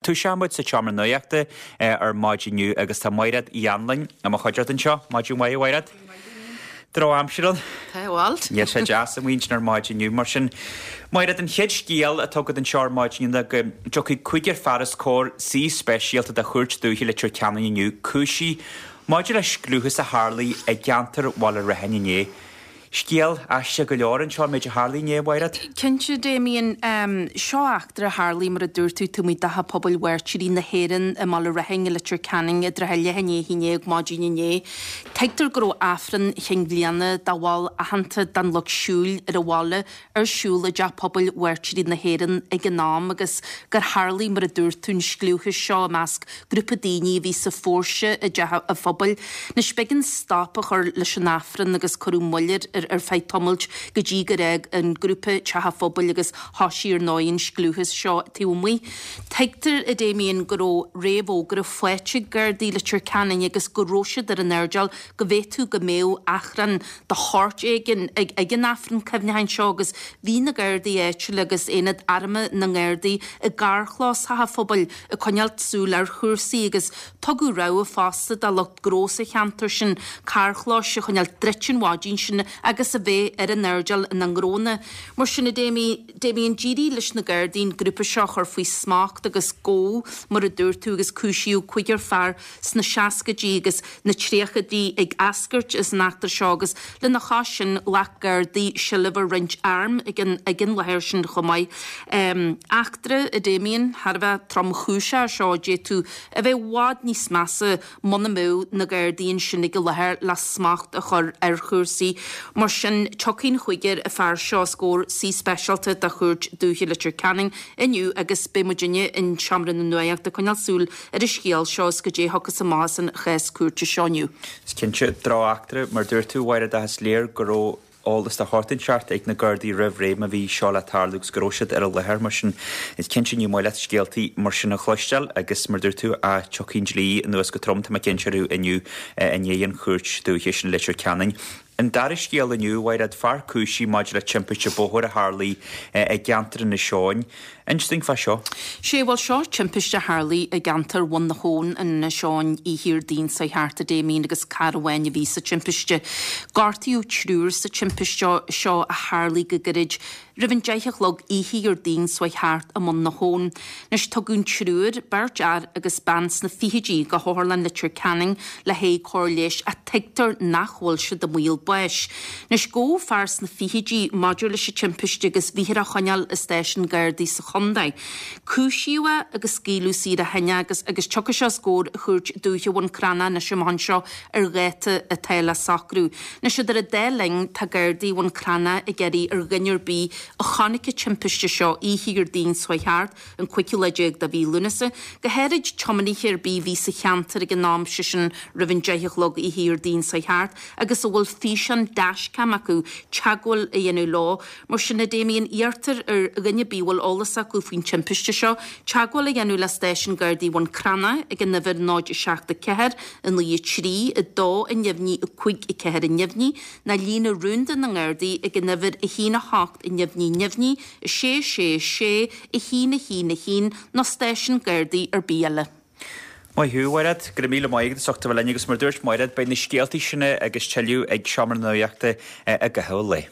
Toiseoidh muid sa tseomra nuachta ar maidin inniu agus tá Maighread Uí Anluain i mo chuideachta anseo. Maidin mhaith, a Mhaighread. Drochaimsir ann. Tá, bhuel. Níl sé deas amuigh ansin ar maidin inniu. Mar sin, Maighread, an chéad scéal atá agat anseo ar maidin inniu ná go dtiocfaidh cúigear fear os comhair suí speisialta de Chúirt Dúiche Leitir Ceanainn inniu, cúisithe maidir le scliúchas a tharlaigh i gceantar Bhaile Raithin inné. Scéal aisteach go leor anseo, an méid a tharlaigh inné, a Mhaighread. Cinnte, Damien. Seo eachtra a tharlaigh, mar a dúirt tú, taobh amuigh d'Teach Pobail Mhairtírigh na hÉireann i mBaile Raithin i Leitir Ceanainn i dtrátha leath i ndiaidh a haon déag maidin inné. Tuigtear go raibh Aifreann Chinn Bhliana do bhall aitheanta den Lucht Siúil ar an bhaile ar siúl i dTeach Pobail Mhairtírigh na hÉireann ag an am agus gur tharlaigh, mar a dúirt tú, an scliúchas seo i measc grúpa daoine a bhí sa phóirse i dteach an phobail. Anois, b'éigean stop a chur leis an Aifreann agus cuireadh moill air ar feadh tamaill go dtí gur fhág an grúpa teach an phobail agus thosaigh ar ndóigh an scliúchas seo taobh amuigh. Tuigtear, a Damien, go raibh réamhfhógra faighte ag Gardaí Leitir Ceanainn agus go raibh siad ar an airdeall go bhféadfadh go mbeadh achrann de shórt éigin ag an Aifreann cuimhneacháin seo agus bhí na Gardaí áitiúla agus Aonad Armtha na nGardaí i gcarrchlós Theach an Phobail ag coinneáil súil ar chúrsaí agus tugadh rabhadh fosta do lucht gnó sa cheantar sin carrchlóis a choinneáil druidte an mhaidin sin agus a bheith ar an airdeall ina ngnónna. Mar sin, a Damien, d'éirigh leis na Gardaí an grúpa seo a chur faoi smacht agus gabhadh, mar a dúirt tú, agus cúisíodh cúigear fear sna seascaidí agus na tríochaidí ag eascairt as an eachtra seo agus lena chois sin ghlac Gardaí seilbh ar roinnt arm ag an ag an láthair sin chomh maith. Eachtra, a Damien, thar a bheith tromchúiseach é seo a d'fhéadfadh a bheith i bhfad níos measa muna mbeadh na Gardaí ansin ag an láthair le smacht a chur ar chúrsaí. Mar sin, tiocfaidh an chúigear fear seo os comhair suí speisialta de Chúirt Dúiche Leitir Ceanainn inniu agus beidh muidinne in Seomra na Nuachta ag coinneáil súil ar an scéal seo is goidé a thiocfas amach as an chás cúirte seo inniu. Is cinnte, drocheachtra, mar dúirt tú, a Mhaighread, ach is léir go raibh eolas de shórt inteacht ag na Gardaí roimh ré má bhí seo le tarlú agus go raibh siad ar an láthair. Mar sin, is cinnte ní maith leat scéaltaí mar sin a chloisteáil agus mar dúirt tú, tiocfaidh an dlí anuas go trom, tá mé cinnte orthu inniu i ndiaidh an chúirt dúiche sin i Leitir Ceanainn. An dara scéal inniu, a Mhaighread, fear cúisithe maidir le timpiste bóthair a tharlaigh i gceantar Inis Eoghain. Inis dúinn fá seo. Sé, bhuel seo timpiste a tharlaigh i gceantar Bhun na hAbhann in Inis Eoghain oíche Dhéardaoin seo thart, a Damien, agus carr amháin a bhí sa timpiste. Gortaíodh triúr sa timpiste seo a tharlaigh go gairid roimh an deich a chlog oíche Dhéardaoin seo thart i mBun na hAbhann. Anois tugadh an triúr, beirt fhear agus bean sna fichidí, go hOtharlann Leitir Ceanainn le haghaidh cóir leighis ach tuigtear nach bhfuil siad i mbaol báis. Anois gabhadh fear sna fichidí maidir leis an timpiste agus bhíthear á choinneáil i stáisiún Gardaí sa chontae. Cúisíodh é agus scaoileadh saor ó shin é agus agus tiocfaidh sé os comhair Chúirt Dúiche Bhun Cranncha anois amach anseo ar dháta atá le socrú. Anois idir an dá linn tá Gardaí Bhun Cranncha ag iarraidh ar dhuine ar bith a chonaic an timpiste seo oíche Dhéardaoin seo thart, an cúigiú lá déag de mhí Lúnasa, go háirid tiománaithe ar bith a bhí sa cheantar ag an am, sé sin roimh an deich a chlog oíche Dhéardaoin seo thart, agus a bhfuil físeán dashcam acu, teagmháil a dhéanamh leo. Mar sin, a Damien, iarrtar ar dhuine ar bith a bhfuil eolas acu faoin timpiste seo, teagmháil a dhéanamh le stáisiún Gardaí Bhun Cranncha ag an uimhir 0 7 4 9 3 2 neamhní 5 4 neamhní, nó líne rúnda na nGardaí ag an uimhir 1 8 neamhní neamhní 6 6 6 1 1 1 nó stáisiún Gardaí ar bith eile. Maith thú, a Mhaighread. Go raibh míle maith agat as ucht a bheith linn agus mar a dúirt Maighread, beidh na scéaltaí sin agus tuilleadh ag Seomra na Nuachta i gcaitheamh an lae.